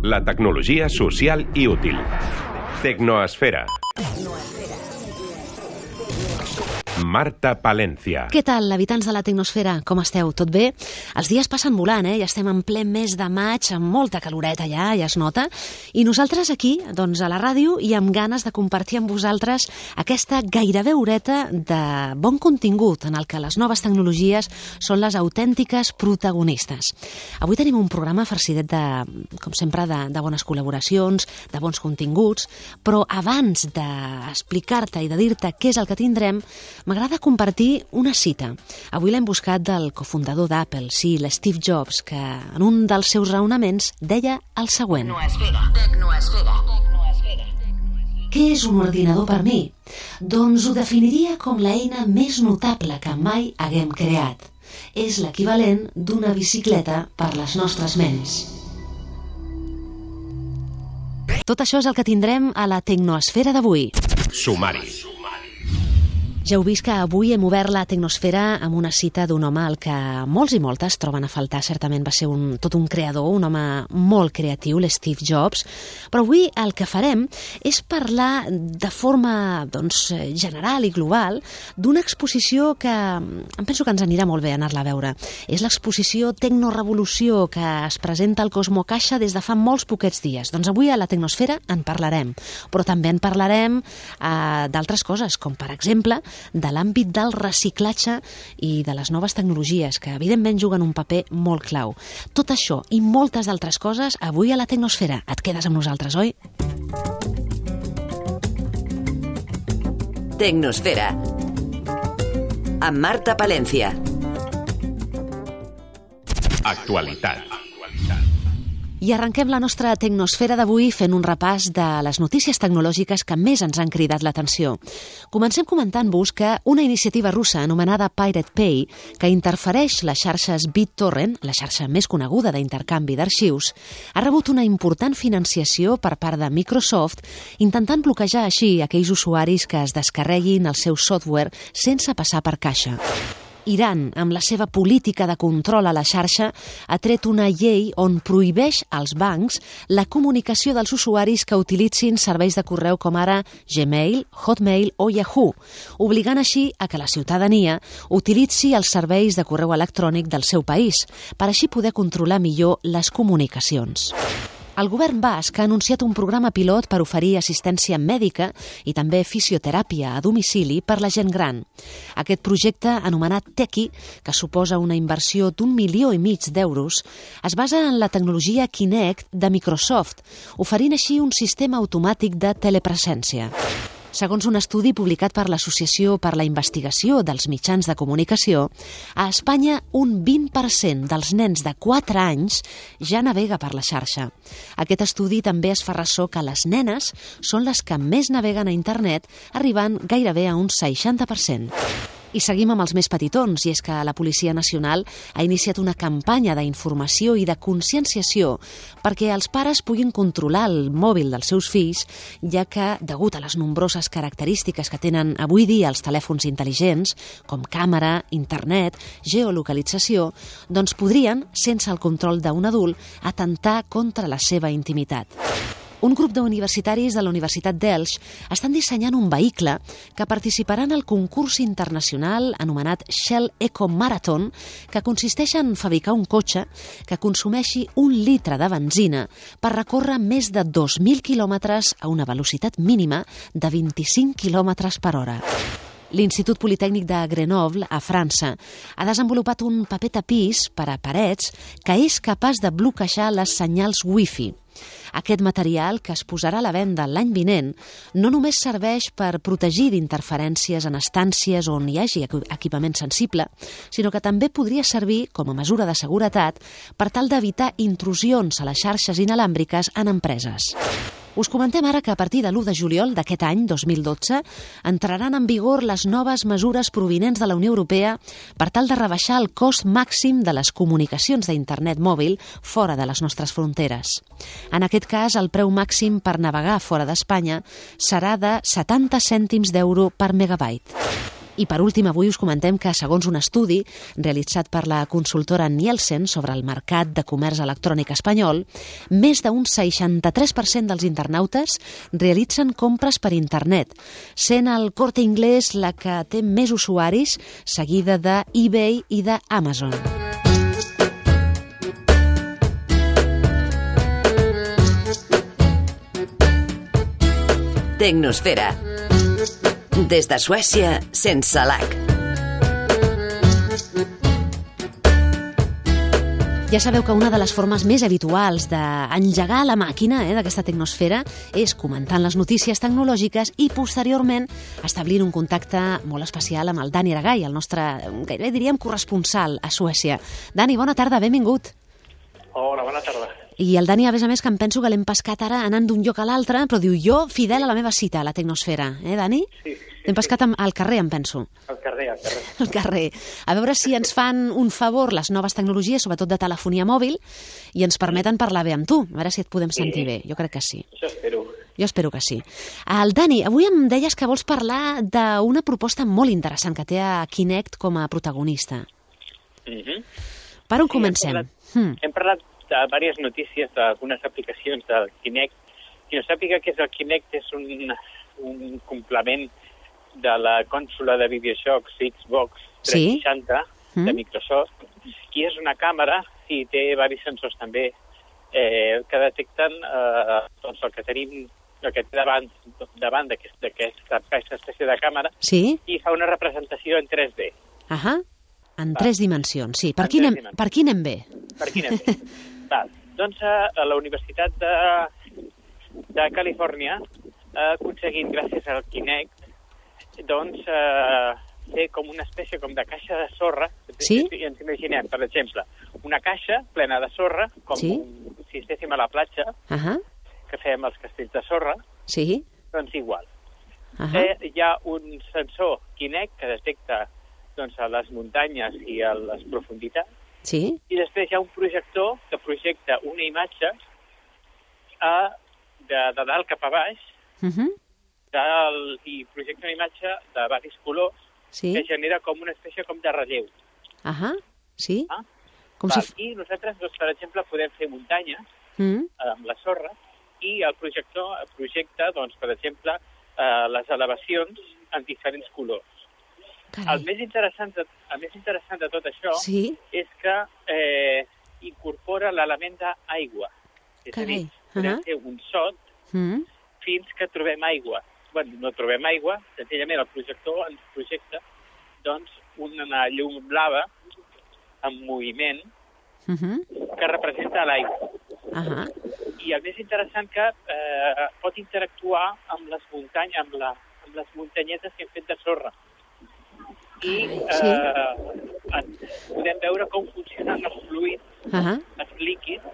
La tecnologia social i útil. Tecnoesfera. Marta Palencia. Què tal, habitants de la Tecnosfera? Com esteu? Tot bé? Els dies passen volant, Ja estem en ple mes de maig, amb molta caloreta ja es nota. I nosaltres aquí, doncs a la ràdio, i amb ganes de compartir amb vosaltres aquesta gairebé horeta de bon contingut en el que les noves tecnologies són les autèntiques protagonistes. Avui tenim un programa farcidet com sempre, de bones col·laboracions, de bons continguts, però abans d'explicar-te i de dir-te què és el que tindrem, m'agrada compartir una cita. Avui l'hem buscat del cofundador d'Apple, sí, l'Steve Jobs, que en un dels seus raonaments deia el següent. Tecnoesfera. Què és un ordinador per mi? Doncs ho definiria com l'eina més notable que mai haguem creat. És l'equivalent d'una bicicleta per les nostres ments. Tot això és el que tindrem a la Tecnoesfera d'avui. Sumari. Ja heu vist que avui hem obert la Tecnosfera amb una cita d'un home al que molts i moltes troben a faltar. Certament va ser tot un creador, un home molt creatiu, l'Steve Jobs. Però avui el que farem és parlar de forma general i global d'una exposició que em penso que ens anirà molt bé anar-la a veure. És l'exposició Tecnorevolució, que es presenta al Cosmo Caixa des de fa molts poquets dies. Doncs avui a la Tecnosfera en parlarem, però també en parlarem d'altres coses, com per exemple de l'àmbit del reciclatge i de les noves tecnologies, que evidentment juguen un paper molt clau. Tot això i moltes d'altres coses avui a la Tecnosfera. Et quedes amb nosaltres, oi? Tecnosfera amb Marta Palencia. Actualitat. I arrenquem la nostra Tecnosfera d'avui fent un repàs de les notícies tecnològiques que més ens han cridat l'atenció. Comencem comentant-vos que una iniciativa russa anomenada Pirate Bay, que interfereix les xarxes BitTorrent, la xarxa més coneguda d'intercanvi d'arxius, ha rebut una important financiació per part de Microsoft, intentant bloquejar així aquells usuaris que es descarreguin el seu software sense passar per caixa. Iran, amb la seva política de control a la xarxa, ha tret una llei on prohibeix als bancs la comunicació dels usuaris que utilitzin serveis de correu com ara Gmail, Hotmail o Yahoo, obligant així a que la ciutadania utilitzi els serveis de correu electrònic del seu país, per així poder controlar millor les comunicacions. El govern basc ha anunciat un programa pilot per oferir assistència mèdica i també fisioteràpia a domicili per la gent gran. Aquest projecte, anomenat Teki, que suposa una inversió d'1,5 milió d'euros, es basa en la tecnologia Kinect de Microsoft, oferint així un sistema automàtic de telepresència. Segons un estudi publicat per l'Associació per la Investigació dels Mitjans de Comunicació, a Espanya un 20% dels nens de 4 anys ja navega per la xarxa. Aquest estudi també es fa ressò que les nenes són les que més naveguen a internet, arribant gairebé a un 60%. I seguim amb els més petitons, i és que la Policia Nacional ha iniciat una campanya d'informació i de conscienciació perquè els pares puguin controlar el mòbil dels seus fills, ja que, degut a les nombroses característiques que tenen avui dia els telèfons intel·ligents, com càmera, internet, geolocalització, doncs podrien, sense el control d'un adult, atentar contra la seva intimitat. Un grup d'universitaris de la Universitat d'Elx estan dissenyant un vehicle que participarà en el concurs internacional anomenat Shell Eco Marathon, que consisteix en fabricar un cotxe que consumeixi 1 litre de benzina per recórrer més de 2.000 quilòmetres a una velocitat mínima de 25 quilòmetres per hora. L'Institut Politècnic de Grenoble, a França, ha desenvolupat un paper tapís per a parets que és capaç de bloquejar les senyals Wi-Fi. Aquest material, que es posarà a la venda l'any vinent, no només serveix per protegir d'interferències en estàncies on hi hagi equipament sensible, sinó que també podria servir com a mesura de seguretat per tal d'evitar intrusions a les xarxes inalàmbriques en empreses. Us comentem ara que a partir de l'1 de juliol d'aquest any, 2012, entraran en vigor les noves mesures provinents de la Unió Europea per tal de rebaixar el cost màxim de les comunicacions d'internet mòbil fora de les nostres fronteres. En aquest cas, el preu màxim per navegar fora d'Espanya serà de 70 cèntims d'euro per megabyte. I per últim, avui us comentem que, segons un estudi realitzat per la consultora Nielsen sobre el mercat de comerç electrònic espanyol, més d'un 63% dels internautes realitzen compres per internet, sent el Corte Inglés la que té més usuaris, seguida de eBay i d'Amazon. Tecnosfera. Des de Suècia, sense lag. Ja sabeu que una de les formes més habituals d'engegar la màquina d'aquesta tecnosfera és comentant les notícies tecnològiques i, posteriorment, establint un contacte molt especial amb el Dani Aragay, el nostre, gairebé diríem, corresponsal a Suècia. Dani, bona tarda, benvingut. Hola, bona tarda. I el Dani, a més, que em penso que l'hem pescat ara anant d'un lloc a l'altre, però diu, jo fidel a la meva cita, a la tecnosfera. Dani? Sí. L'hem pescat al carrer, em penso. Al carrer. Al carrer. A veure si ens fan un favor les noves tecnologies, sobretot de telefonia mòbil, i ens permeten parlar bé amb tu. A veure si et podem sentir bé. Jo crec que sí. Això espero. Jo espero que sí. El Dani, avui em deies que vols parlar d'una proposta molt interessant que té a Kinect com a protagonista. Per on comencem? Hem parlat de diverses notícies d'algunes aplicacions del Kinect. Qui no sàpiga què és el Kinect, és un complement de la consola de videojocs Xbox 360 de Microsoft, i és una càmera i té diversos sensors també que detecten el que tenim, el que té davant d'aquesta espècie de càmera, i fa una representació en 3D. En 3 dimensions, sí. Per qui anem bé? Per qui anem bé? Doncs a la Universitat de Califòrnia ha aconseguit, gràcies al Kinect, doncs fer com una espècie de caixa de sorra. I ens imaginem, per exemple, una caixa plena de sorra, com si estéssim a la platja, que fem els castells de sorra, doncs igual. Hi ha un sensor Kinect que detecta a les muntanyes i a les profunditats, i després hi ha un projector que projecta una imatge de dalt cap a baix, i projecta una imatge de diversos colors que genera com una espècie de relleu. I nosaltres, per exemple, podem fer muntanyes amb la sorra, i el projector projecta, per exemple, les elevacions en diferents colors. El més interessant de tot això és que incorpora l'element d'aigua. És a dir, podem fer un sot fins que trobem aigua. No trobem aigua, senzillament el projector ens projecta una llum blava en moviment que representa l'aigua. I el més interessant que pot interactuar amb les muntanyes, amb les muntanyetes que hem fet de sorra. I podem veure com funcionen els fluids, els líquids.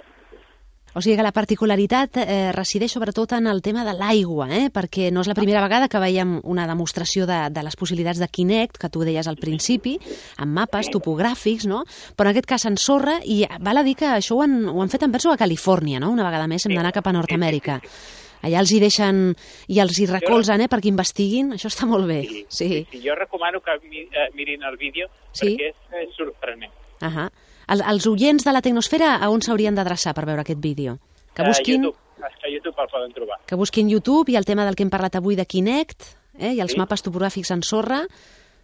O sigui que la particularitat resideix sobretot en el tema de l'aigua, perquè no és la primera vegada que veiem una demostració de les possibilitats de Kinect, que tu deies al principi, amb mapes topogràfics, no? Però en aquest cas en sorra, i val a dir que això ho han fet en penso a Califòrnia, no? Una vegada més hem d'anar cap a Nord-Amèrica. Allà els hi deixen i els hi recolzen perquè investiguin, això està molt bé. Jo recomano que mirin el vídeo perquè és sorprenent. Els oients de la Tecnosfera a on s'haurien d'adreçar per veure aquest vídeo? A YouTube el poden trobar. Que busquin YouTube i el tema del que hem parlat avui de Kinect, i els mapes topogràfics en sorra.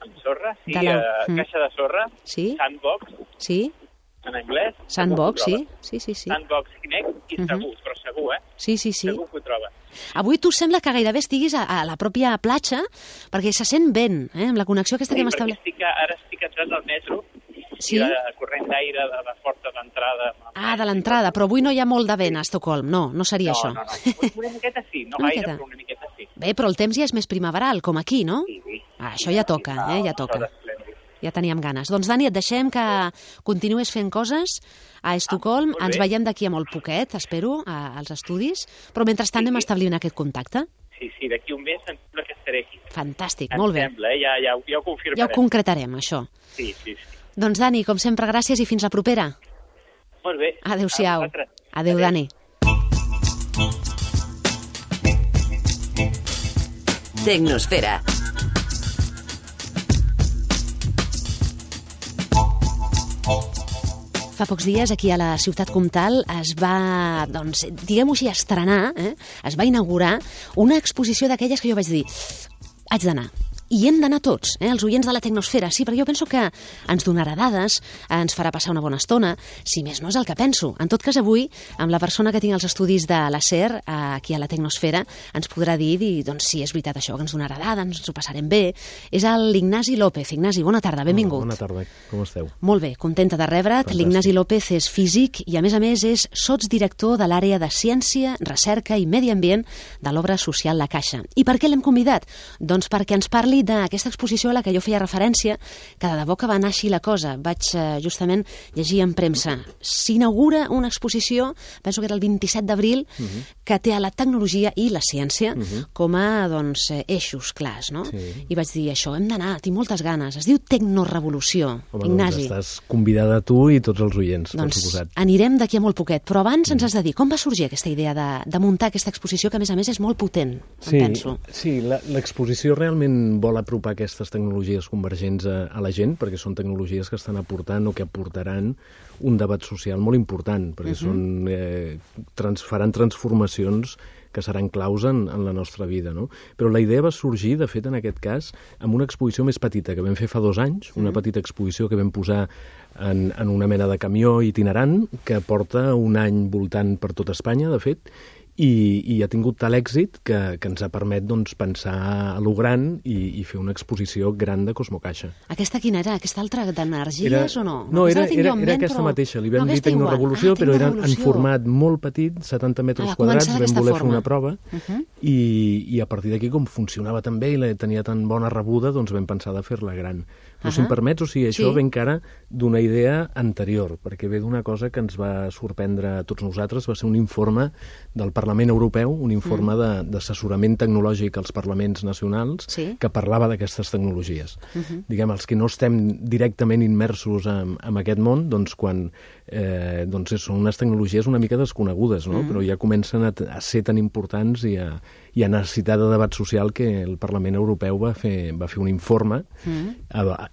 En sorra, caixa de sorra, Sandbox, en anglès. Sandbox, sí. Sandbox Kinect, i segur, segur que ho troben. Avui tu sembla que gairebé estiguis a la pròpia platja, perquè se sent vent, amb la connexió aquesta que hem establert. Ara estic entrant al metro, i la corrent d'aire de la porta d'entrada. De l'entrada, però avui no hi ha molt de vent a Estocolm, no seria això. No, una miqueta sí, no gaire, però una miqueta sí. Bé, però el temps ja és més primaveral, com aquí, no? Sí. Això ja toca, ja toca. Ja teníem ganes. Doncs, Dani, et deixem que continues fent coses a Estocolm. Ens veiem d'aquí a molt poquet, espero, als estudis, però mentrestant anem establint aquest contacte. Sí, d'aquí un mes em sembla que estaré aquí. Fantàstic, molt bé. Em sembla, ja ho confirmarem. Ja ho concretarem, això. Sí. Doncs, Dani, com sempre, gràcies i fins la propera. Molt bé. Adéu-siau. Adéu, Dani. Tecnosfera. Fa pocs dies, aquí a la Ciutat Comtal, es va, doncs, diguem-ho així, estrenar, es va inaugurar una exposició d'aquelles que jo vaig dir, haig d'anar. I hem d'anar tots, els oients de la Tecnosfera, sí, perquè jo penso que ens donarà dades, ens farà passar una bona estona, si més no és el que penso. En tot cas, avui, amb la persona que tinc els estudis de la SER, aquí a la Tecnosfera, ens podrà dir, doncs, si és veritat això, que ens donarà dades, ens ho passarem bé. És l'Ignasi López. Ignasi, bona tarda, benvingut. Bona tarda, com esteu? Molt bé, contenta de rebre't. L'Ignasi López és físic i, a més, és sotsdirector de l'àrea de Ciència, Recerca i Medi Ambient de l'obra social La Caixa. I per què l'hem convidat? Doncs perquè ens parli d'aquesta exposició a la que jo feia referència, que de debò que va anar així la cosa. Vaig justament llegir en premsa. S'inaugura una exposició, penso que era el 27 d'abril, que té a la tecnologia i la ciència com a doncs, eixos clars, no? Sí. I vaig dir, això, hem d'anar, tinc moltes ganes. Es diu Tecnorevolució. Home, Ignasi. Doncs estàs convidada tu i tots els oients, doncs, per suposat. Anirem d'aquí a molt poquet, però abans ens has de dir com va sorgir aquesta idea de muntar aquesta exposició, que a més és molt potent, penso. Sí, l'exposició realment vol apropar aquestes tecnologies convergents a la gent, perquè són tecnologies que estan aportant o que aportaran un debat social molt important, perquè faran transformacions que seran claus en la nostra vida, no? Però la idea va sorgir, de fet, en aquest cas, amb una exposició més petita que vam fer fa 2 anys, una petita exposició que vam posar en una mena de camió itinerant que porta un any voltant per tot Espanya, de fet, i ha tingut tal èxit que ens ha permet doncs, pensar a lo gran i fer una exposició gran de Cosmocaixa. Aquesta quina era? Aquesta altra d'energies o no? No, era aquesta mateixa. Li vam dir Tecnorevolució, però era en format molt petit, 70 metres quadrats, vam voler fer una prova, i a partir d'aquí, com funcionava tan bé i tenia tan bona rebuda, doncs vam pensar de fer-la gran. Però si em permets, o sigui, això ve encara d'una idea anterior, perquè ve d'una cosa que ens va sorprendre a tots nosaltres, va ser un informe del Parlament Europeu, un informe d'assessorament tecnològic als parlaments nacionals que parlava d'aquestes tecnologies. Diguem, els que no estem directament immersos en aquest món, doncs quan són unes tecnologies una mica desconegudes, no? Però ja comencen a ser tan importants i a necessitar de debat social que el Parlament Europeu va fer un informe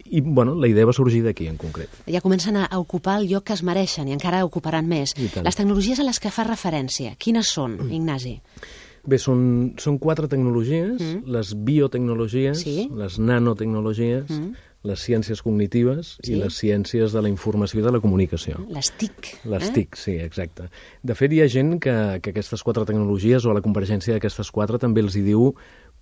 i, bueno, la idea va sorgir d'aquí en concret. Ja comencen a ocupar el lloc que es mereixen i encara ocuparan més. Les tecnologies a les que fa referència, quines són, Ignasi? Bé, són 4 tecnologies, les biotecnologies, les nanotecnologies, les ciències cognitives i les ciències de la informació i de la comunicació. Les TIC. Les TIC, sí, exacte. De fet, hi ha gent que aquestes 4 tecnologies o a la convergència d'aquestes 4 també els hi diu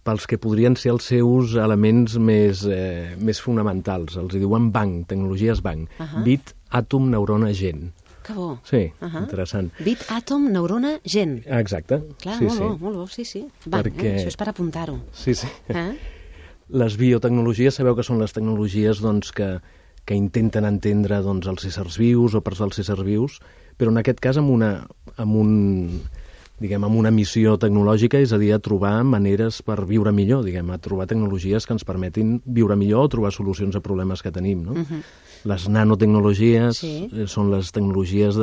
pels que podrien ser els seus elements més fonamentals. Els hi diuen BANG, tecnologies BANG. Bit, àtom, neurona, gen. Que bo. Sí, interessant. Bit, àtom, neurona, gen. Exacte. Clar, molt bo, sí. BANG, això és per apuntar-ho. Sí. Les biotecnologies, sabeu que són les tecnologies doncs, que intenten entendre doncs, els éssers vius o parts dels éssers vius, però en aquest cas amb una missió tecnològica, és a dir, a trobar maneres per viure millor, a trobar tecnologies que ens permetin viure millor o trobar solucions a problemes que tenim. No? Les nanotecnologies són les tecnologies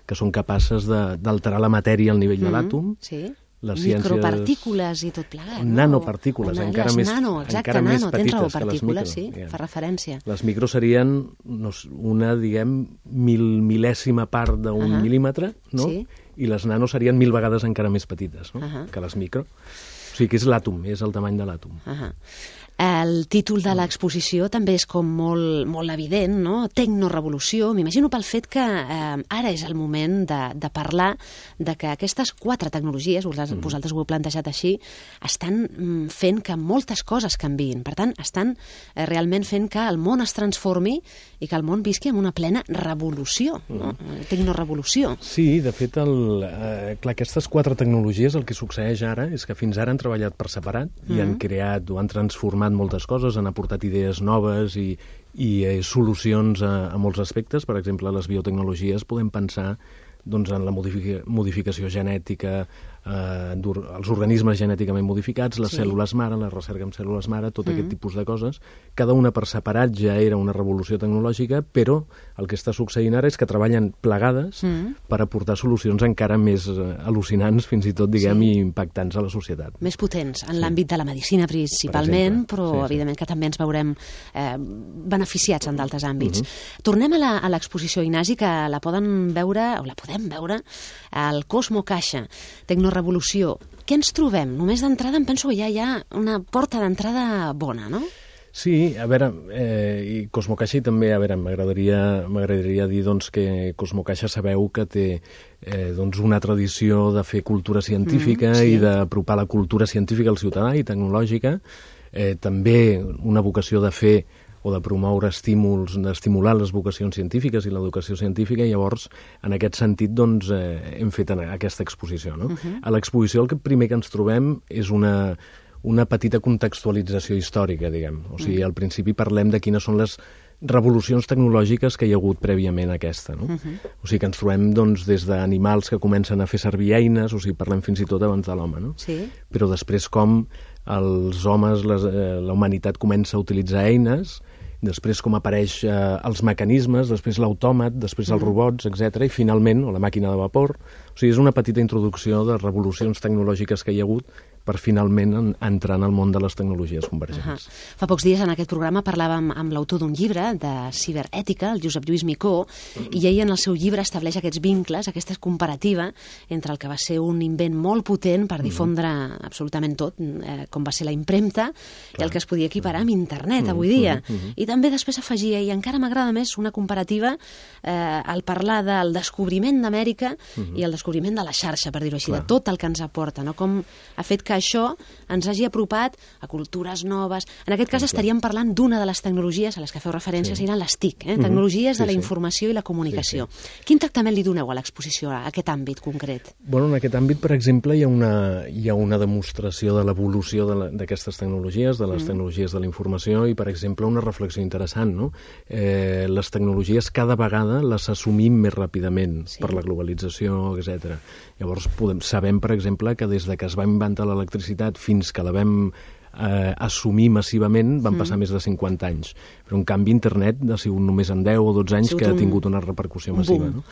que són capaces d'alterar la matèria al nivell de l'àtom. Micropartícules i tot plegat, no? Nanopartícules, encara més petites que les micro. Sí, fa referència. Les micro serien una, mil·lèsima part d'un mil·límetre, no? I les nano serien 1000 vegades encara més petites que les micro. O sigui que és l'àtom, és el tamany de l'àtom. El títol de l'exposició també és com molt evident, no? Tecnorevolució. M'imagino pel fet que ara és el moment de parlar de que aquestes 4 tecnologies, vosaltres ho heu plantejat així, estan fent que moltes coses canviïn. Per tant, estan realment fent que el món es transformi i que el món visqui amb una plena revolució, no? Tecnorevolució. Sí, de fet, aquestes 4 tecnologies, el que succeeix ara és que fins ara han treballat per separat i han creat o han transformat moltes coses, han aportat idees noves i solucions a molts aspectes. Per exemple, les biotecnologies podem pensar doncs, en la modificació genètica, els organismes genèticament modificats, les cèl·lules mare, la recerca amb cèl·lules mare, tot aquest tipus de coses. Cada una per separat ja era una revolució tecnològica, però el que està succeint ara és que treballen plegades per aportar solucions encara més al·lucinants, fins i tot, diguem, i impactants a la societat. Més potents, en l'àmbit de la medicina principalment, però evidentment que també ens veurem beneficiats en d'altres àmbits. Tornem a l'exposició, Ignasi, que la podem veure al Cosmo Caixa, Tecnorevolució. Què ens trobem? Només d'entrada em penso que ja hi ha una porta d'entrada bona, no? Sí, a veure, i Cosmo Caixa i també, a veure, m'agradaria dir doncs, que Cosmo Caixa sabeu que té una tradició de fer cultura científica i d'apropar la cultura científica al ciutadà i tecnològica, també una vocació de fer o de promoure estímuls, d'estimular les vocacions científiques i l'educació científica, i llavors, en aquest sentit, doncs, hem fet aquesta exposició, no? A l'exposició el primer que ens trobem és una petita contextualització històrica, diguem. O sigui, al principi parlem de quines són les revolucions tecnològiques que hi ha hagut prèviament a aquesta, no? O sigui, que ens trobem, doncs, des d'animals que comencen a fer servir eines, o sigui, parlem fins i tot abans de l'home, no? Sí. Però després com els homes, la humanitat comença a utilitzar eines, després com apareix els mecanismes, després l'autòmat, després els robots, etc. I finalment, o la màquina de vapor. O sigui, és una petita introducció de revolucions tecnològiques que hi ha hagut per finalment entrar en el món de les tecnologies convergents. Fa pocs dies en aquest programa parlàvem amb l'autor d'un llibre de ciberètica, el Josep Lluís Micó, i ell en el seu llibre estableix aquests vincles, aquesta comparativa entre el que va ser un invent molt potent per difondre absolutament tot, com va ser la impremta, i el que es podia equiparar amb internet avui dia. I també després afegia, i encara m'agrada més, una comparativa al parlar del descobriment d'Amèrica i el descobriment de la xarxa, per dir-ho així, de tot el que ens aporta, no? Com ha fet que això ens hagi apropat a cultures noves. En aquest cas estaríem parlant d'una de les tecnologies a les que feu referència, seran les TIC, tecnologies de la informació i la comunicació. Quin tractament li doneu a l'exposició, a aquest àmbit concret? Bueno, en aquest àmbit, per exemple, hi ha una demostració de l'evolució d'aquestes tecnologies, de les tecnologies de la informació, i, per exemple, una reflexió interessant, no? Les tecnologies cada vegada les assumim més ràpidament per la globalització, etc. Llavors, sabem, per exemple, que des de que es va inventar l'electricitat fins que la vam assumir massivament van passar més de 50 anys. Però, en canvi, internet ha sigut només en 10 o 12 anys que ha tingut una repercussió massiva. No?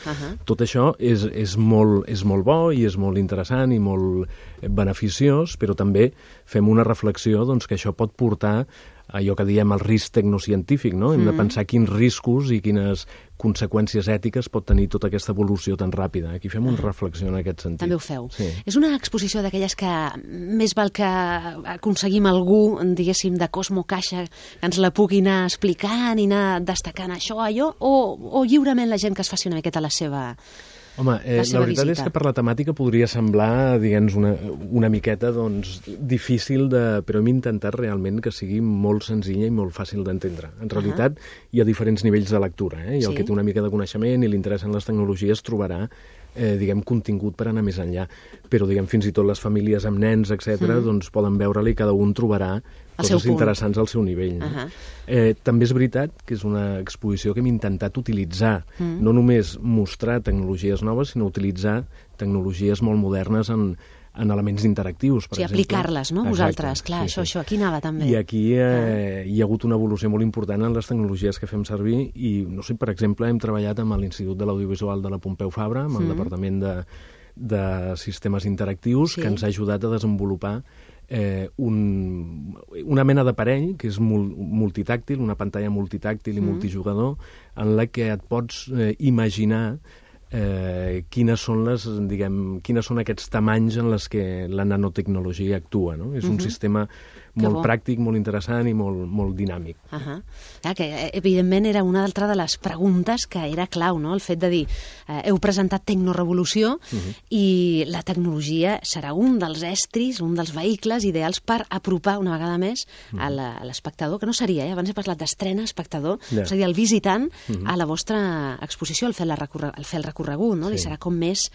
Tot això és molt bo i és molt interessant i molt beneficiós, però també fem una reflexió doncs, que això pot portar allò que diem el risc tecnocientífic, no? Hem de pensar quins riscos i quines conseqüències ètiques pot tenir tota aquesta evolució tan ràpida. Aquí fem una reflexió en aquest sentit. També ho feu. Sí. És una exposició d'aquelles que més val que aconseguim algú, diguéssim, de Cosmo Caixa, que ens la pugui anar explicant i anar destacant això, allò, o lliurement la gent que es faci una miqueta la seva... Home, la veritat és que per la temàtica podria semblar, diguem, una miqueta doncs, difícil, però hem intentat realment que sigui molt senzilla i molt fàcil d'entendre. En realitat hi ha diferents nivells de lectura, i el que té una mica de coneixement i li interessen les tecnologies trobarà contingut per anar més enllà. Però, fins i tot les famílies amb nens, etc., doncs poden veure-la i cada un trobarà coses interessants al seu nivell. També és veritat que és una exposició que hem intentat utilitzar, no només mostrar tecnologies noves, sinó utilitzar tecnologies molt modernes en elements interactius, per exemple. Aplicar-les, no? Vosaltres, clar, això, aquí anava també. I aquí hi ha hagut una evolució molt important en les tecnologies que fem servir i, no sé, per exemple, hem treballat amb l'Institut de l'Audiovisual de la Pompeu Fabra, amb el Departament de Sistemes Interactius, que ens ha ajudat a desenvolupar una mena d'aparell que és multitàctil, una pantalla multitàctil i multijugador, en la que et pots imaginar quines són aquests tamanys en les que la nanotecnologia actua, no? És un sistema molt pràctic, molt interessant i molt dinàmic. Que, evidentment, era una altra de les preguntes que era clau, no? El fet de dir, heu presentat Tecnorevolució i la tecnologia serà un dels estris, un dels vehicles ideals per apropar una vegada més a l'espectador, que no seria, abans he parlat d'estrena espectador, seria el visitant a la vostra exposició, al fer el recorregut, no? Li serà com més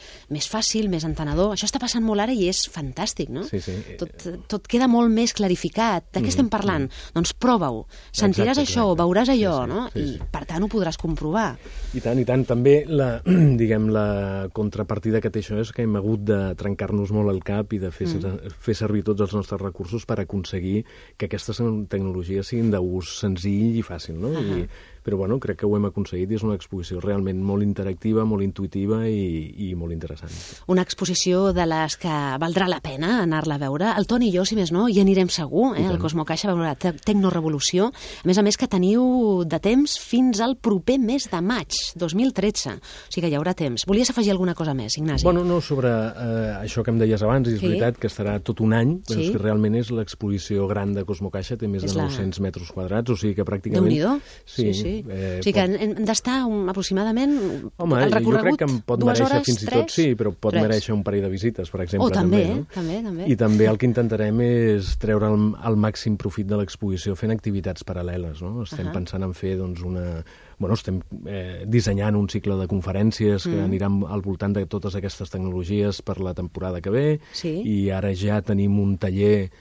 fàcil, més entenedor. Això està passant molt ara i és fantàstic, no? Sí. Tot queda molt més clarificat. descodificat. De què estem parlant? Doncs prova-ho. Sentiràs això, veuràs allò, no? I, per tant, ho podràs comprovar. I tant, i tant. També la contrapartida que té això és que hem hagut de trencar-nos molt el cap i de fer servir tots els nostres recursos per aconseguir que aquestes tecnologies siguin d'ús senzill i fàcil, no? Però bueno, crec que ho hem aconseguit i és una exposició realment molt interactiva, molt intuïtiva i molt interessant. Una exposició de les que valdrà la pena anar-la a veure. El Toni i jo, si més no, hi anirem segur, al Cosmocaixa, a veure la Tecnorevolució. A més que teniu de temps fins al proper mes de maig, 2013. O sigui que hi haurà temps. Volies afegir alguna cosa més, Ignasi? Bueno, no, sobre això que em deies abans, és veritat que estarà tot un any, però és que realment és l'exposició gran de Cosmocaixa, té més de 900 metres quadrats, o sigui que pràcticament... Déu-n'hi-do. Sí. O sigui que hem d'estar aproximadament el recorregut 2 hores, 3... Home, jo crec que em pot mereixer fins i tot, però pot mereixer un parell de visites, per exemple. També. I també el que intentarem és treure el màxim profit de l'exposició fent activitats paral·leles, no? Estem pensant en fer, doncs, estem dissenyant un cicle de conferències que aniran al voltant de totes aquestes tecnologies per la temporada que ve, i ara ja tenim un taller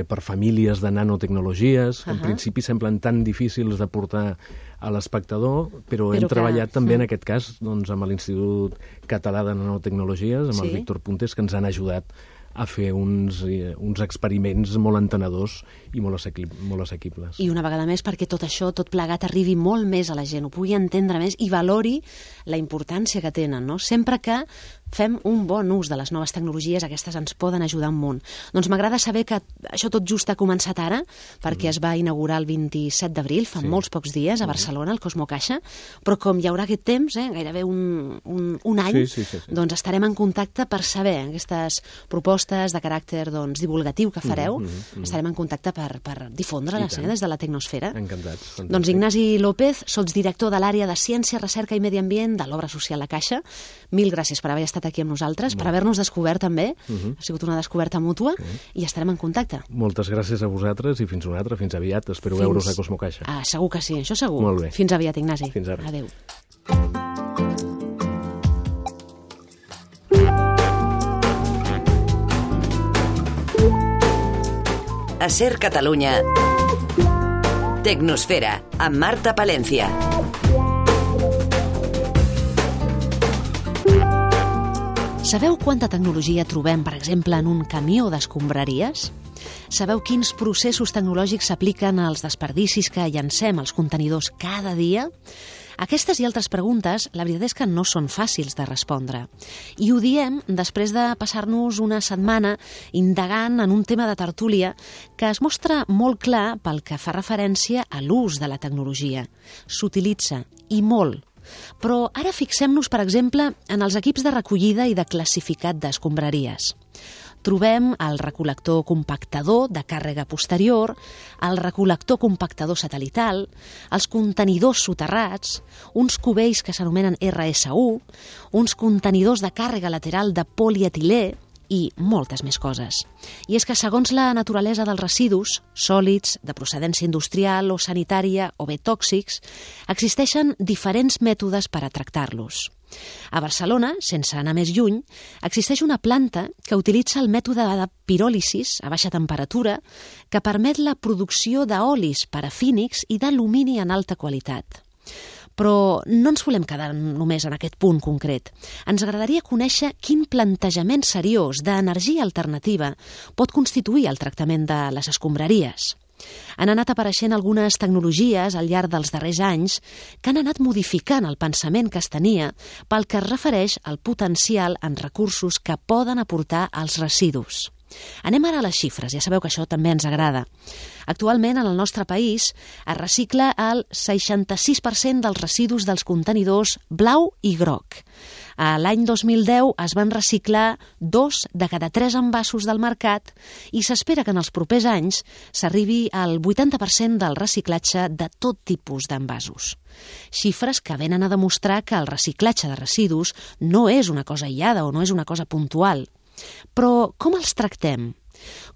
per famílies de nanotecnologies, que en principi semblen tan difícils de portar a l'espectador, però hem treballat també en aquest cas amb l'Institut Català de Nanotecnologies, amb el Víctor Puntes, que ens han ajudat a fer uns experiments molt entenedors i molt assequibles. I una vegada més perquè tot això, tot plegat, arribi molt més a la gent, ho pugui entendre més i valori la importància que tenen, no? Sempre que fem un bon ús de les noves tecnologies, aquestes ens poden ajudar un munt. Doncs m'agrada saber que això tot just ha començat ara, perquè es va inaugurar el 27 d'abril, fa molts pocs dies, a Barcelona, al Cosmocaixa, però com hi haurà aquest temps, gairebé un any, doncs estarem en contacte per saber aquestes propostes de caràcter divulgatiu que fareu, estarem en contacte per difondre-les des de la tecnosfera. Encantats. Doncs Ignasi López, sots director de l'àrea de Ciència, Recerca i Medi Ambient de l'Obra Social La Caixa. Mil gràcies per haver estat aquí amb nosaltres, per haver-nos descobert també. Ha sigut una descoberta mútua i estarem en contacte. Moltes gràcies a vosaltres i fins una altra, fins aviat. Espero veure's a Cosmocaixa. Segur que sí, això segur. Molt bé. Fins aviat, Ignasi. Fins ara. Adéu. A Ser Catalunya, Tecnosfera, amb Marta Palencia. Sabeu quanta tecnologia trobem, per exemple, en un camió d'escombraries? Sabeu quins processos tecnològics s'apliquen als desperdicis que llancem als contenidors cada dia? Aquestes i altres preguntes, la veritat és que no són fàcils de respondre. I ho diem després de passar-nos una setmana indagant en un tema de tertúlia que es mostra molt clar pel que fa referència a l'ús de la tecnologia. S'utilitza, i molt. Però ara fixem-nos, per exemple, en els equips de recollida i de classificat d'escombraries. Trobem el recol·lector compactador de càrrega posterior, el recol·lector compactador satelital, els contenidors soterrats, uns cubells que s'anomenen RS1, uns contenidors de càrrega lateral de polietilè i moltes més coses. I és que segons la naturalesa dels residus, sòlids, de procedència industrial o sanitària o bé tòxics, existeixen diferents mètodes per a tractar-los. A Barcelona, sense anar més lluny, existeix una planta que utilitza el mètode de piròlisis a baixa temperatura que permet la producció d'olis parafínics i d'alumini en alta qualitat. Però no ens volem quedar només en aquest punt concret. Ens agradaria conèixer quin plantejament seriós d'energia alternativa pot constituir el tractament de les escombraries. Han anat apareixent algunes tecnologies al llarg dels darrers anys que han anat modificant el pensament que es tenia pel que es refereix al potencial en recursos que poden aportar als residus. Anem ara a les xifres, ja sabeu que això també ens agrada. Actualment, en el nostre país, es recicla el 66% dels residus dels contenidors blau i groc. L'any 2010 es van reciclar 2 de cada 3 envasos del mercat i s'espera que en els propers anys s'arribi al 80% del reciclatge de tot tipus d'envasos. Xifres que venen a demostrar que el reciclatge de residus no és una cosa aïllada o no és una cosa puntual. Però com els tractem?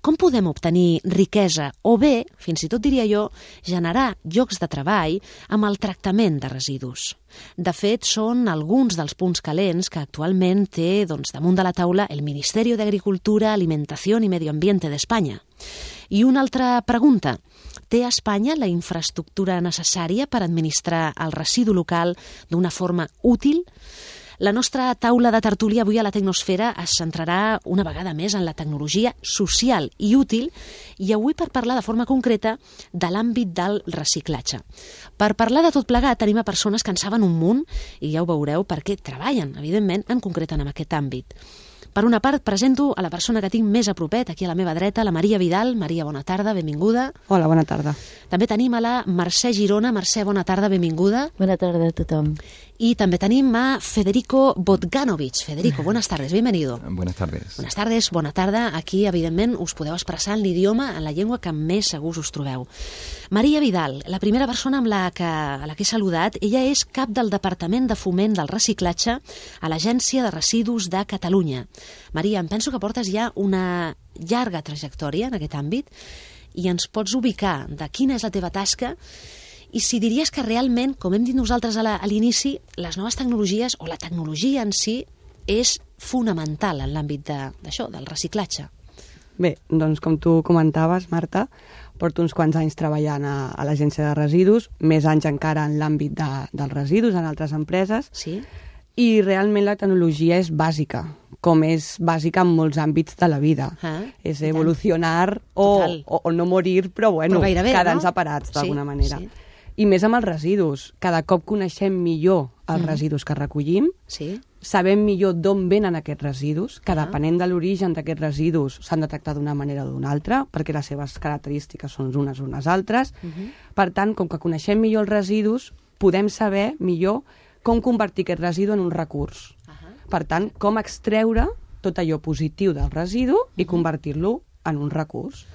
Com podem obtenir riquesa o bé, fins i tot diria jo, generar llocs de treball amb el tractament de residus? De fet, són alguns dels punts calents que actualment té damunt de la taula el Ministerio de Agricultura, Alimentación y Medio Ambiente d'Espanya. I una altra pregunta. Té Espanya la infraestructura necessària per administrar el residu local d'una forma útil? La nostra taula de tertúlia avui a la Tecnosfera es centrarà una vegada més en la tecnologia social i útil i avui per parlar de forma concreta de l'àmbit del reciclatge. Per parlar de tot plegat tenim a persones que en saben un munt i ja ho veureu perquè treballen, evidentment, en concret en aquest àmbit. Per una part, presento a la persona que tinc més a propet, aquí a la meva dreta, la Maria Vidal. Maria, bona tarda, benvinguda. Hola, bona tarda. També tenim a la Mercè Girona. Mercè, bona tarda, benvinguda. Bona tarda a tothom. Y también tenim a Federico Bogdanovich. Federico, buenas tardes, bienvenido. Buenas tardes. Buenas tardes, bona tarda. Aquí, evidentment, us podeu expressar en l'idioma, en la llengua que més segurs us trobeu. Maria Vidal, la primera persona a la que he saludat, ella és cap del Departament de Foment del Reciclatge a l'Agència de Residus de Catalunya. Maria, em penso que portes ja una llarga trajectòria en aquest àmbit i ens pots ubicar de quina és la teva tasca i si diries que realment, com hem dit nosaltres a l'inici, les noves tecnologies o la tecnologia en si és fonamental en l'àmbit d'això, del reciclatge. Bé, doncs com tu comentaves, Marta, porto uns quants anys treballant a l'Agència de Residus, més anys encara en l'àmbit dels residus en altres empreses, sí? I realment la tecnologia és bàsica, com és bàsica en molts àmbits de la vida. És evolucionar o no morir, però bueno, quedar-nos separats d'alguna manera. Sí. I més amb els residus. Cada cop coneixem millor els residus que recollim, sabem millor d'on venen aquests residus, que depenent de l'origen d'aquests residus s'han de tractar d'una manera o d'una altra, perquè les seves característiques són unes altres. Per tant, com que coneixem millor els residus, podem saber millor com convertir aquest residu en un recurs. Per tant, com extreure tot allò positiu del residu i convertir-lo en un recurs.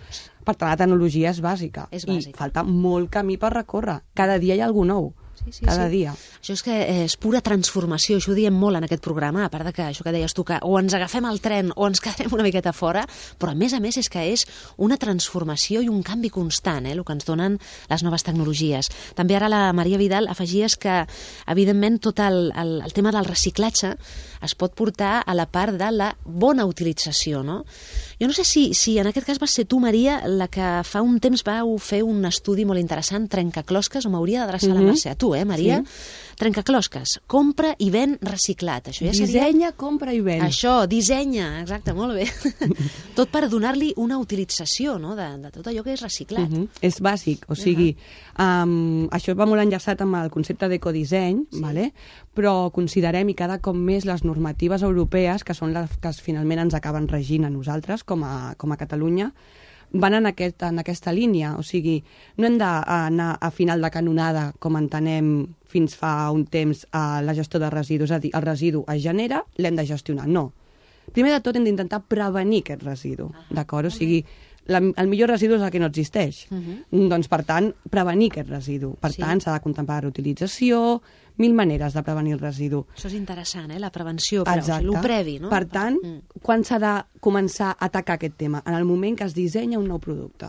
Per tant, la tecnologia és bàsica. I falta molt camí per recórrer. Cada dia hi ha alguna nou. Cada dia. Això és que és pura transformació, això ho diem molt en aquest programa, a part de que això que deies tu, que o ens agafem el tren o ens quedarem una miqueta fora, però a més és que és una transformació i un canvi constant, el que ens donen les noves tecnologies. També ara la Maria Vidal afegies que, evidentment, tot el tema del reciclatge es pot portar a la part de la bona utilització, no? Jo no sé si en aquest cas vas ser tu, Maria, la que fa un temps vau fer un estudi molt interessant, trencaclosques, o m'hauria d'adreçar la Mercè, a tu, Maria? Sí. Trencaclosques, compra i ven reciclat. Això ja seria... Dissenya, compra i ven. Això, dissenya, exacte, molt bé. Tot per donar-li una utilització, no?, de tot allò que és reciclat. És bàsic, o sigui, això va molt enllaçat amb el concepte d'ecodisseny, però considerem i cada cop més les normatives europees, que són les que finalment ens acaben regint a nosaltres, com a Catalunya, van en aquesta línia, o sigui, no hem d'anar a final de canonada, com entenem fins fa un temps a la gestió de residus, és a dir, el residu es genera, l'hem de gestionar, no. Primer de tot hem d'intentar prevenir aquest residu, d'acord? O sigui, el millor residu és el que no existeix. Doncs, per tant, prevenir aquest residu. Per tant, s'ha de contemplar la reutilització, 1000 maneres de prevenir el residu. Això és interessant, la prevenció, però el previ, no? Per tant, quan s'ha de començar a atacar aquest tema? En el moment que es dissenya un nou producte.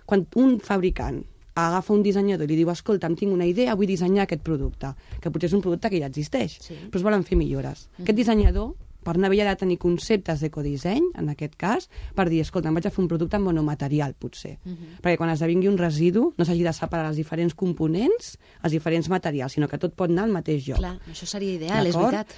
Quan un fabricant agafa un dissenyador i li diu, escolta, em tinc una idea, vull dissenyar aquest producte, que potser és un producte que ja existeix, però es volen fer millores. Aquest dissenyador, per anar bé, ha de tenir conceptes d'ecodisseny, en aquest cas, per dir, escolta, em vaig a fer un producte amb monomaterial, potser. Perquè quan esdevingui un residu no s'hagi de separar els diferents components, els diferents materials, sinó que tot pot anar al mateix lloc. Clar, això seria ideal, és veritat.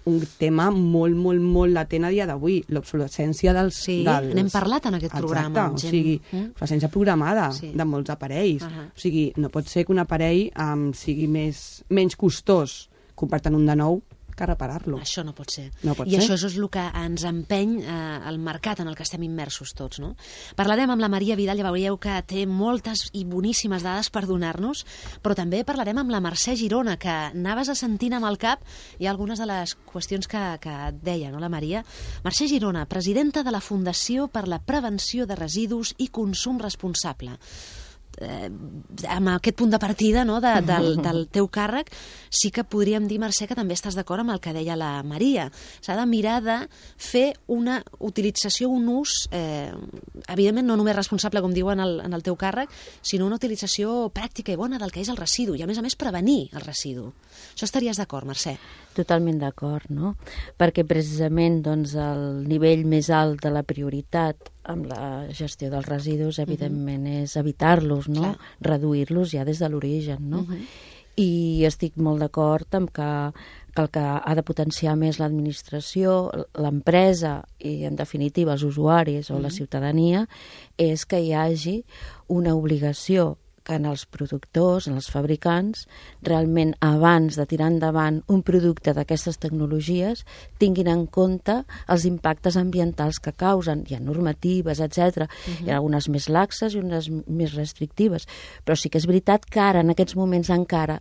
Un tema molt, molt, molt latent a dia d'avui, l'obsolescència dels... Sí, n'hem parlat en aquest programa. Exacte, o sigui, l'obsolescència programada de molts aparells. O sigui, no pot ser que un aparell sigui menys costós comprar-te'n un de nou que reparar-lo. Això no pot ser. I això és el que ens empeny el mercat en el que estem immersos tots, no? Parlarem amb la Maria Vidal, ja veieu que té moltes i boníssimes dades per donar-nos, però també parlarem amb la Mercè Girona, que anaves assentint amb el cap i algunes de les qüestions que et deia, no, la Maria? Mercè Girona, presidenta de la Fundació per la Prevenció de Residus i Consum Responsable. Amb aquest punt de partida, no, del teu càrrec, sí que podríem dir, Mercè, que també estàs d'acord amb el que deia la Maria. S'ha de mirar de fer una utilització, un ús, evidentment no només responsable, com diuen en el teu càrrec, sinó una utilització pràctica i bona del que és el residu, i a més prevenir el residu. Això estaries d'acord, Mercè? Totalment d'acord, no? Perquè precisament doncs, el nivell més alt de la prioritat amb la gestió dels residus, evidentment, és evitar-los, no? Reduir-los ja des de l'origen, no? I estic molt d'acord amb que el que ha de potenciar més l'administració, l'empresa i, en definitiva, els usuaris o la ciutadania, és que hi hagi una obligació que en els productors, en els fabricants, realment abans de tirar endavant un producte d'aquestes tecnologies tinguin en compte els impactes ambientals que causen. Hi ha normatives, etc. Hi ha algunes més laxes i unes més restrictives, però sí que és veritat que ara, en aquests moments encara,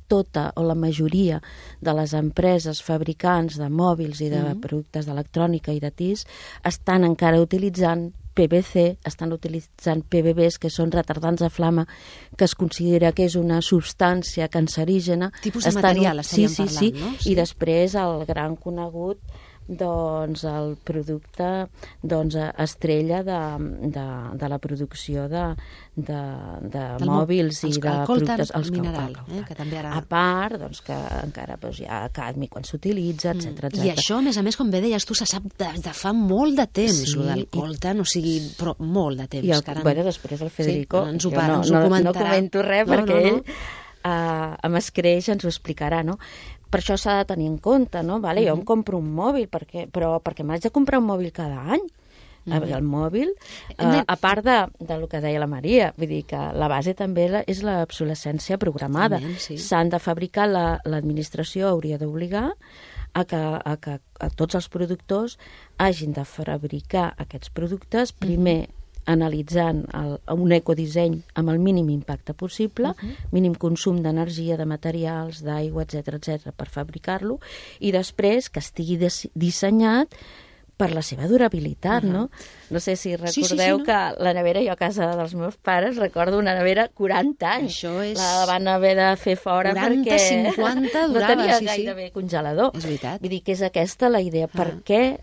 tota o la majoria de les empreses fabricants de mòbils i de productes d'electrònica i de TIS estan encara utilitzant PVC, estan utilitzant PBBs, que són retardants de flama, que es considera que és una substància cancerígena. Tipus de material estaríem parlant, no? I després el gran conegut, doncs, el producte estrella de la producció de mòbils i de productes... El mineral, que també ara... A part, doncs, que encara hi ha cadmi quan s'utilitza, etc. I això, a més, com bé deies tu, se sap de fa molt de temps, el del coltan, o sigui, però molt de temps. I després el Federico, ens ho comentarà. No comento res, perquè ell amb escreix ens ho explicarà, no? Per això s'ha de tenir en compte, no? Vale, jo em compro un mòbil, però perquè m'haig de comprar un mòbil cada any. El mòbil, a part del que deia la Maria, vull dir que la base també és l'obsolescència programada. S'han de fabricar, l'administració hauria d'obligar a que tots els productors hagin de fabricar aquests productes, primer analitzant un ecodisseny amb el mínim impacte possible, mínim consum d'energia, de materials, d'aigua, etc., per fabricar-lo, i després que estigui dissenyat per la seva durabilitat, no? No sé si recordeu que la nevera, jo a casa dels meus pares, recordo una nevera 40 anys. Això és... La van haver de fer fora 40, perquè 50 durava, no tenia gairebé congelador. És veritat. Vull dir que és aquesta la idea. Per què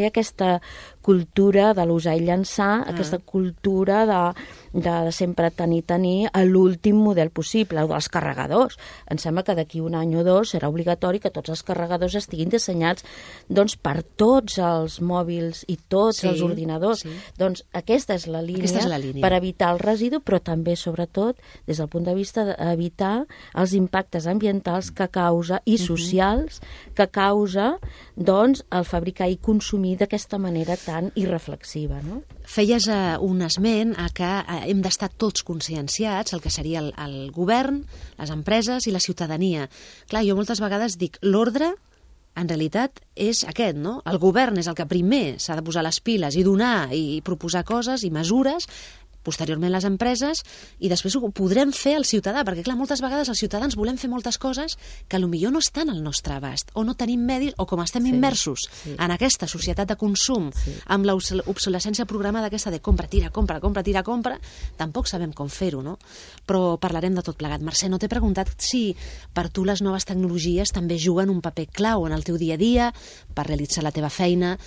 aquesta cultura de l'usar i llançar, aquesta cultura de sempre tenir a l'últim model possible, o dels carregadors. Em sembla que d'aquí un any o dos serà obligatori que tots els carregadors estiguin dissenyats doncs, per tots els mòbils i tots els ordinadors. Doncs aquesta és la línia per evitar el residu, però també, sobretot, des del punt de vista d'evitar els impactes ambientals que causa i socials que causa doncs, el fabricar i consumir d'aquesta manera tan irreflexiva, no? Feies un esment a que hem d'estar tots conscienciats, el que seria el govern, les empreses i la ciutadania. Clar, jo moltes vegades dic, l'ordre en realitat és aquest, no? El govern és el que primer s'ha de posar les piles i donar i proposar coses i mesures, posteriorment les empreses, i després ho podrem fer al ciutadà, perquè clar, moltes vegades els ciutadans volem fer moltes coses que potser no estan al nostre abast, o no tenim medis, o com estem immersos en aquesta societat de consum, amb l'obsolescència programada aquesta de compra, tira, compra, tampoc sabem com fer-ho, no? Però parlarem de tot plegat. Mercè, no t'he preguntat si per tu les noves tecnologies també juguen un paper clau en el teu dia a dia, per realitzar la teva feina,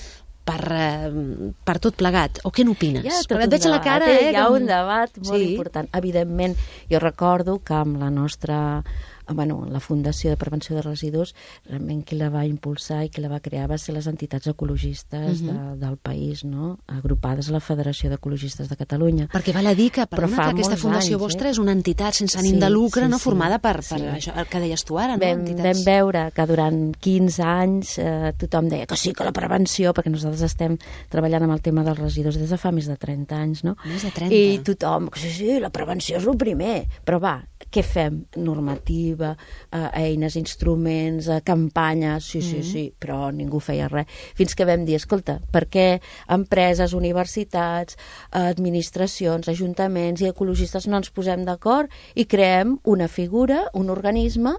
per tot plegat, o què n'opines? Et veig la cara, hi ha un debat molt important. Evidentment, jo recordo que amb la nostra la Fundació de Prevenció de Residus, realment qui la va impulsar i qui la va crear va ser les entitats ecologistes del país, no? Agrupades a la Federació d'Ecologistes de Catalunya. Perquè val a dir que, que aquesta fundació vostra és una entitat sense ànim de lucre, formada per això que deies tu ara, no? Vam veure que durant 15 anys tothom deia que sí, que la prevenció, perquè nosaltres estem treballant amb el tema dels residus des de fa més de 30 anys, no? Més de 30. I tothom, sí, la prevenció és el primer. Però va, què fem? Normativa, eines, instruments, campanyes, sí, però ningú feia res. Fins que vam dir, escolta, per què empreses, universitats, administracions, ajuntaments i ecologistes no ens posem d'acord i creem una figura, un organisme,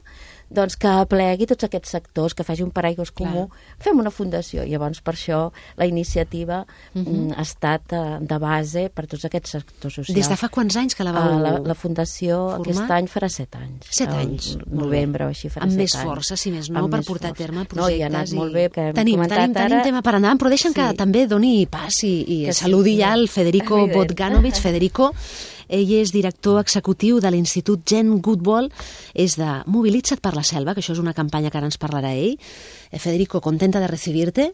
doncs que aplegui tots aquests sectors, que faci un paraigües comú, fem una fundació. Llavors, per això, la iniciativa ha estat de base per tots aquests sectors socials. Des de fa quants anys que la vau la fundació formar? Aquest any farà 7 anys. 7 anys? Novembre o així farà 7 anys. Amb més força, si més no, per portar a terme projectes. No, i ha anat molt bé. Tenim tema per endavant, però deixa'm que també doni pas i saludi ja el Federico Bogdanovic. Federico, Ell és director executiu de l'Institut Jane Goodall, és de Mobilitza't per la Selva, que això és una campanya que ara ens parlarà ell. Federico, contenta de recibirte.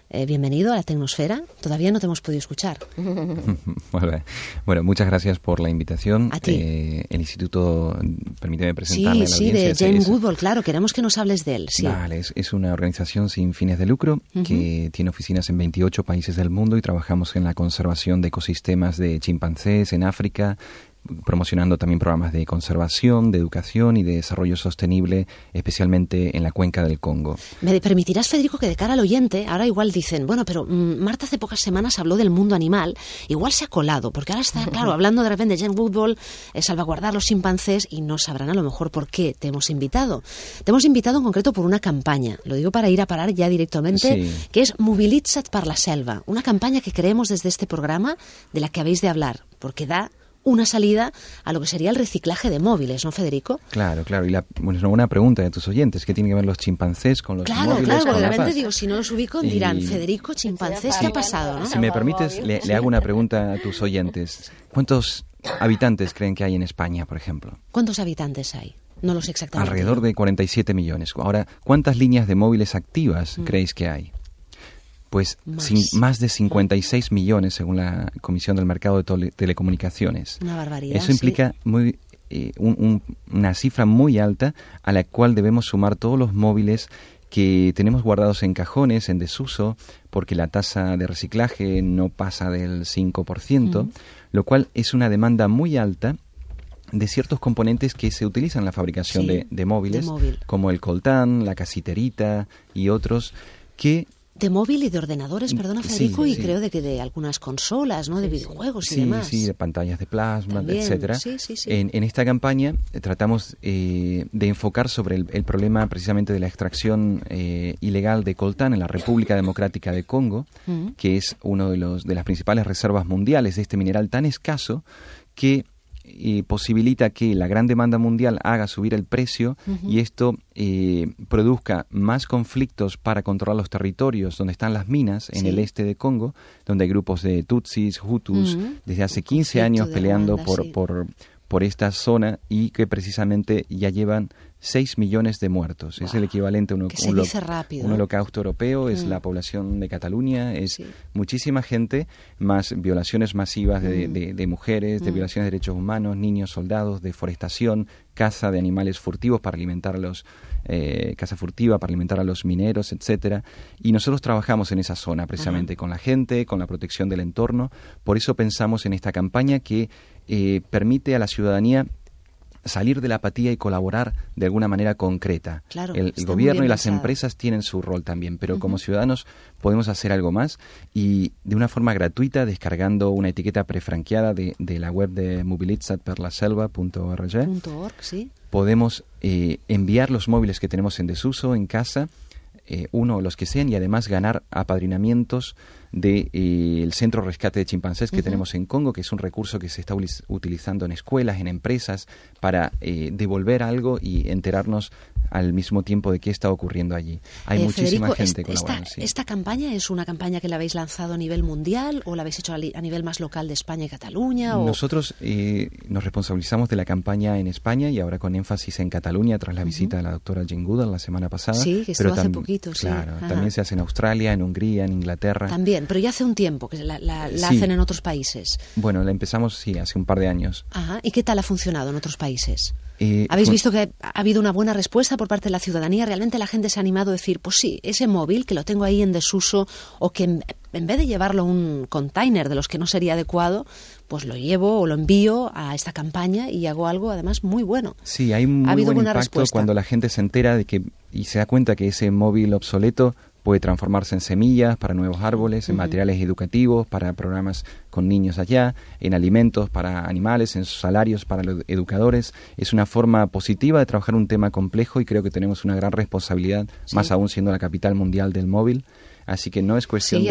Bienvenido a la Tecnosfera. Todavía no te hemos podido escuchar. Bueno, muchas gracias por la invitación. A ti. El instituto, permíteme presentarle a la audiencia. Sí, de Jane Goodall, claro, queremos que nos hables de él. Sí. Vale, es una organización sin fines de lucro que tiene oficinas en 28 países del mundo y trabajamos en la conservación de ecosistemas de chimpancés en África, promocionando también programas de conservación, de educación y de desarrollo sostenible, especialmente en la cuenca del Congo. Me permitirás, Federico, que de cara al oyente, ahora igual dicen, bueno, pero Marta hace pocas semanas habló del mundo animal, igual se ha colado, porque ahora está, claro, hablando de repente de Jane Goodall, salvaguardar los chimpancés, y no sabrán a lo mejor por qué te hemos invitado. Te hemos invitado en concreto por una campaña, lo digo para ir a parar ya directamente, que es Mobilitza't per la Selva, una campaña que creemos desde este programa de la que habéis de hablar, porque da una salida a lo que sería el reciclaje de móviles, ¿no, Federico? Claro. Y es una buena pregunta de tus oyentes. ¿Qué tienen que ver los chimpancés con los móviles? Claro, de repente digo, si no los ubico, dirán, Federico, chimpancés, ¿qué ha pasado? ¿No? Si me permites, le hago una pregunta a tus oyentes. ¿Cuántos habitantes creen que hay en España, por ejemplo? ¿Cuántos habitantes hay? No lo sé exactamente. Alrededor de 47 millones. Ahora, ¿cuántas líneas de móviles activas creéis que hay? Pues más de 56 millones, según la Comisión del Mercado de Telecomunicaciones. Una barbaridad. Eso implica una cifra muy alta a la cual debemos sumar todos los móviles que tenemos guardados en cajones, en desuso, porque la tasa de reciclaje no pasa del 5%, lo cual es una demanda muy alta de ciertos componentes que se utilizan en la fabricación de móviles, como el coltán, la casiterita y otros que... De móvil y de ordenadores, perdona, Federico, y creo de que de algunas consolas, ¿no? De videojuegos y demás. Sí, de pantallas de plasma, también, etcétera. Sí. En esta campaña tratamos de enfocar sobre el problema precisamente de la extracción ilegal de coltán en la República Democrática de Congo, que es uno de las principales reservas mundiales de este mineral tan escaso que posibilita que la gran demanda mundial haga subir el precio y esto produzca más conflictos para controlar los territorios donde están las minas en el este de Congo, donde hay grupos de Tutsis, Hutus, desde hace 15 años peleando por esta zona y que precisamente ya llevan 6 millones de muertos. Es el equivalente a un holocausto europeo, es la población de Cataluña, es muchísima gente, más violaciones masivas de mujeres, de violaciones de derechos humanos, niños, soldados, deforestación, caza de animales furtivos para alimentar a los caza furtiva para alimentar a los mineros, etcétera. Y nosotros trabajamos en esa zona precisamente con la gente, con la protección del entorno. Por eso pensamos en esta campaña que permite a la ciudadanía salir de la apatía y colaborar de alguna manera concreta. Claro, el gobierno y las empresas tienen su rol también, pero como ciudadanos podemos hacer algo más y de una forma gratuita, descargando una etiqueta prefranqueada de la web de mobilitzatperlaselva.org. Podemos enviar los móviles que tenemos en desuso en casa, uno o los que sean, y además ganar apadrinamientos del Centro Rescate de Chimpancés que tenemos en Congo, que es un recurso que se está utilizando en escuelas, en empresas, para devolver algo y enterarnos al mismo tiempo de qué está ocurriendo allí. Hay muchísima gente colaborando. ¿Esta campaña es una campaña que la habéis lanzado a nivel mundial o la habéis hecho a nivel más local de España y Cataluña? Nosotros nos responsabilizamos de la campaña en España y ahora con énfasis en Cataluña tras la visita de la doctora Jane Goodall la semana pasada. Sí, que estuvo hace poquito. Claro, también se hace en Australia, en Hungría, en Inglaterra. También, pero ya hace un tiempo que la hacen en otros países. Bueno, la empezamos, hace un par de años. Ajá. ¿Y qué tal ha funcionado en otros países? ¿Habéis visto que ha habido una buena respuesta por parte de la ciudadanía? ¿Realmente la gente se ha animado a decir, pues sí, ese móvil que lo tengo ahí en desuso o que en vez de llevarlo a un container de los que no sería adecuado, pues lo llevo o lo envío a esta campaña y hago algo además muy bueno? Sí, hay muy buen impacto respuesta cuando la gente se entera de que y se da cuenta que ese móvil obsoleto puede transformarse en semillas para nuevos árboles, en materiales educativos, para programas con niños allá, en alimentos para animales, en salarios para los educadores. Es una forma positiva de trabajar un tema complejo y creo que tenemos una gran responsabilidad, más aún siendo la capital mundial del móvil. Así que no es cuestión sí,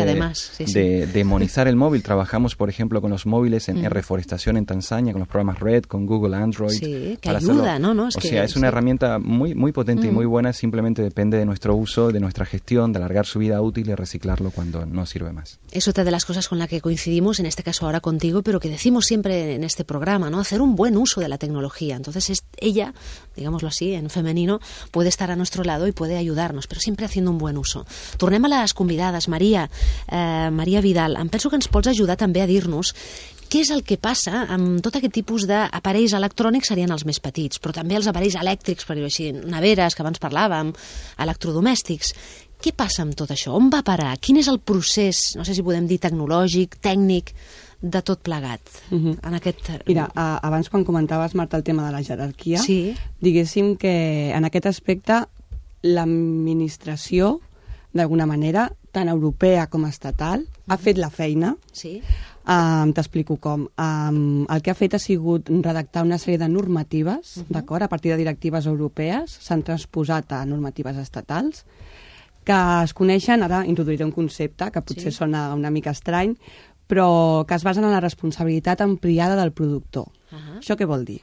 de demonizar el móvil. Trabajamos, por ejemplo, con los móviles en reforestación en Tanzania, con los programas RED, con Google Android. Sí, que ayuda, ¿no? Es una herramienta muy, muy potente y muy buena, simplemente depende de nuestro uso, de nuestra gestión, de alargar su vida útil y reciclarlo cuando no sirve más. Es otra de las cosas con la que coincidimos, en este caso ahora contigo, pero que decimos siempre en este programa, ¿no? Hacer un buen uso de la tecnología. Entonces ella, digámoslo así, en femenino, puede estar a nuestro lado y puede ayudarnos, però sempre haciendo un buen uso. Tornem a les convidades. Maria Vidal, em penso que ens pots ajudar també a dir-nos què és el que passa amb tot aquest tipus d'aparells electrònics, serien els més petits, però també els aparells elèctrics, per dir-ho així, neveres, que abans parlàvem, electrodomèstics. Què passa amb tot això? On va parar? Quin és el procés, no sé si podem dir tecnològic, tècnic, de tot plegat? En aquest... Mira, abans quan comentaves, Marta, el tema de la jerarquia, diguéssim que en aquest aspecte l'administració, d'alguna manera, tant europea com estatal, ha fet la feina. Sí. T'explico com. El que ha fet ha sigut redactar una sèrie de normatives, d'acord? A partir de directives europees, s'han transposat a normatives estatals, que es coneixen, ara introduiré un concepte que potser sona una mica estrany, però que es basen en la responsabilitat ampliada del productor. Això què vol dir?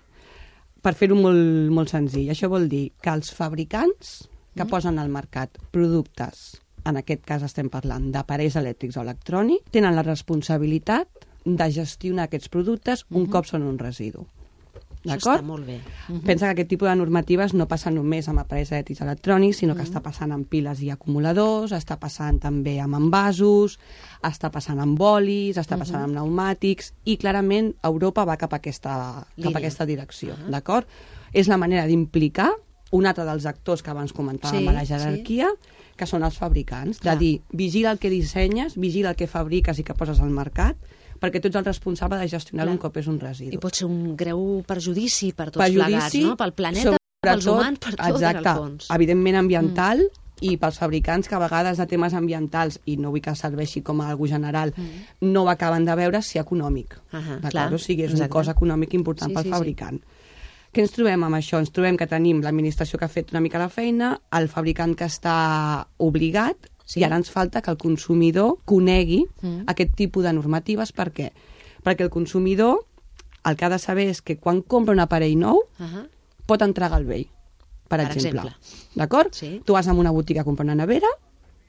Per fer-ho molt, molt senzill, això vol dir que els fabricants que posen al mercat productes, en aquest cas estem parlant d'aparells elèctrics o electrònics, tenen la responsabilitat de gestionar aquests productes un cop són un residu. D'acord? Això està molt bé. Pensa que aquest tipus de normatives no passa només amb aparells elèctrics electrònics, sinó que està passant amb piles i acumuladors, està passant també amb envasos, està passant amb bolis, està passant amb pneumàtics, i clarament Europa va cap a aquesta direcció. D'acord? És la manera d'implicar un altre dels actors que abans comentàvem a la jerarquia, que són els fabricants, de dir, vigila el que dissenyes, vigila el que fabriques i que poses al mercat, perquè tu ets el responsable de gestionar un cop és un residu. I pot ser un greu perjudici per tots plegats, no? Pel planeta, pels humans, per tot, en el fons. Evidentment ambiental, i pels fabricants que a vegades de temes ambientals, i no vull que serveixi com a algú general, no ho acaben de veure si econòmic. O sigui, és un cost econòmic important pel fabricant. Què ens trobem amb això? Ens trobem que tenim l'administració que ha fet una mica la feina, el fabricant que està obligat, i ara ens falta que el consumidor conegui aquest tipus de normatives. Per què? Perquè el consumidor el que ha de saber és que quan compra un aparell nou pot entregar el vell, per exemple. D'acord? Tu vas a una botiga a comprar una nevera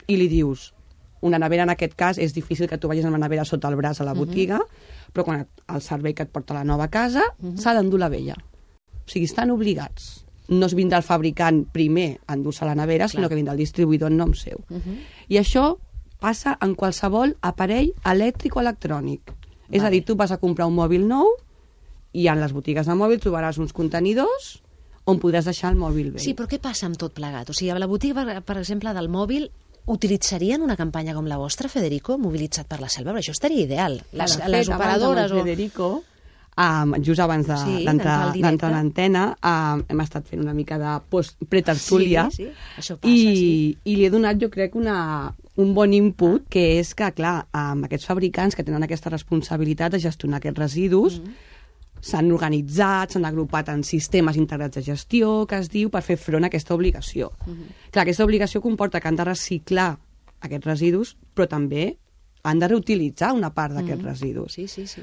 i li dius, una nevera en aquest cas és difícil que tu vagis amb la nevera sota el braç a la botiga, però quan el servei que et porta a la nova casa s'ha d'endur la vella. O sigui, estan obligats. No es vindrà el fabricant primer a endur-se la nevera, sinó que vindrà el distribuïdor en nom seu. I això passa en qualsevol aparell elèctric o electrònic. És a dir, tu vas a comprar un mòbil nou i en les botigues de mòbil trobaràs uns contenidors on podràs deixar el mòbil vell. Sí, però què passa amb tot plegat? O sigui, a la botiga, per exemple, del mòbil, utilitzarien una campanya com la vostra, Federico, mobilitzat per la selva? Però això estaria ideal. Les operadores o... Federico, just abans d'entrar en antena, hem estat fent una mica de pretertúlia i li he donat, jo crec, un bon input, que és que, clar, aquests fabricants que tenen aquesta responsabilitat de gestionar aquests residus s'han organitzat, s'han agrupat en sistemes integrats de gestió, que es diu, per fer front a aquesta obligació. Clar, aquesta obligació comporta que han de reciclar aquests residus, però també han de reutilitzar una part d'aquests residus.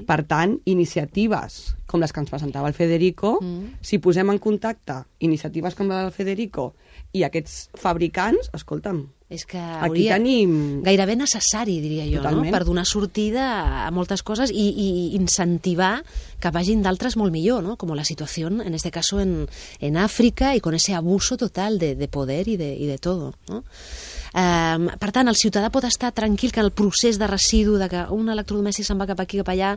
Per tant, iniciatives com les que ens presentava el Federico, si posem en contacte iniciatives com la del Federico i aquests fabricants, escolta'm, és que aquí tenim... gairebé necessari, diria jo, no? Per donar sortida a moltes coses i incentivar que vagin d'altres molt millor, ¿no? Como la situación, en este caso, en África, y con ese abuso total de poder y de todo, ¿no? Per tant, el ciutadà pot estar tranquil que el procés de residu, de que un electrodomèstic se'n va cap aquí, cap allà...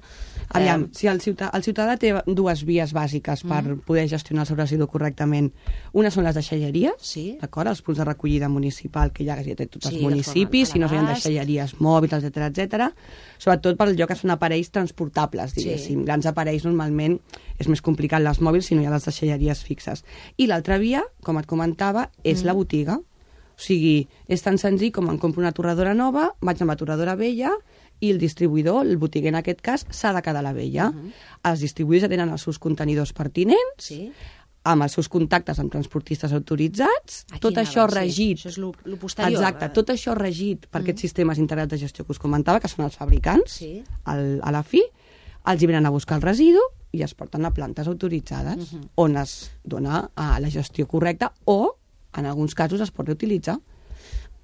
Aviam, si el ciutadà té dues vies bàsiques per poder gestionar el seu residu correctament. Una són les deixalleries, d'acord? Els punts de recollida municipal que hi ha a tots els municipis, si no hi ha deixalleries mòbils, etc. Sobretot per allò que són aparells transportables, diguéssim. Grans aparells normalment és més complicat les mòbils si no hi ha les deixalleries fixes. I l'altra via, com et comentava, és la botiga. O sigui, és tan senzill com em compro una torradora nova, vaig amb la torradora vella i el distribuïdor, el botiguer en aquest cas, s'ha de quedar la vella. Els distribuïdors ja tenen els seus contenidors pertinents, amb els seus contactes amb transportistes autoritzats, tot això regit... Això és lo posterior. Exacte, tot això regit per aquests sistemes integrats de gestió que us comentava, que són els fabricants, a la fi, els hi venen a buscar el residu i es porten a plantes autoritzades, on es dona la gestió correcta o, en alguns casos, es pot reutilitzar.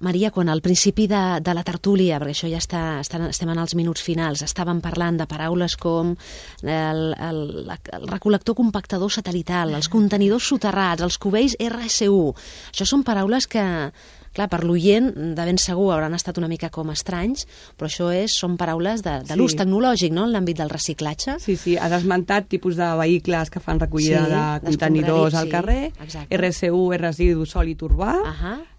Maria, quan al principi de la tertúlia, perquè això ja estem en els minuts finals, estàvem parlant de paraules com el recol·lector compactador satelital, els contenidors soterrats, els cubells RSU. Això són paraules que, clar, per l'oient de ben segur hauran estat una mica com estranys, però això són paraules de l'ús tecnològic, no?, en l'àmbit del reciclatge. Sí, has esmentat tipus de vehicles que fan recollida de contenidors al carrer, RSU, residu sòlid urbà,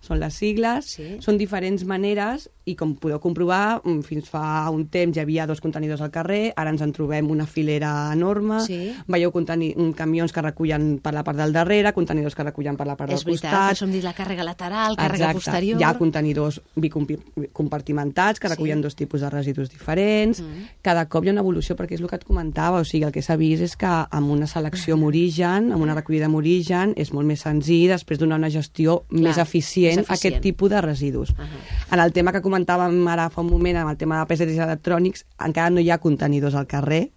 són les sigles, són diferents maneres i com podeu comprovar, fins fa un temps hi havia 2 contenidors al carrer, ara ens en trobem una filera enorme, veieu camions que recullen per la part del darrere, contenidors que recullen per la part del costat. És veritat, això hem dit la càrrega lateral, càrrega posterior. Hi ha contenidors bicompartimentats que recullen 2 tipus de residus diferents. Cada cop hi ha una evolució, perquè és el que et comentava, o sigui, el que s'ha vist és que amb una selecció amb origen, amb una recollida amb origen, és molt més senzill després donar una gestió més eficient a aquest tipus de residus. En el tema que comentàvem ara fa un moment, amb el tema de PCs electrònics, encara no hi ha contenidors al carrer.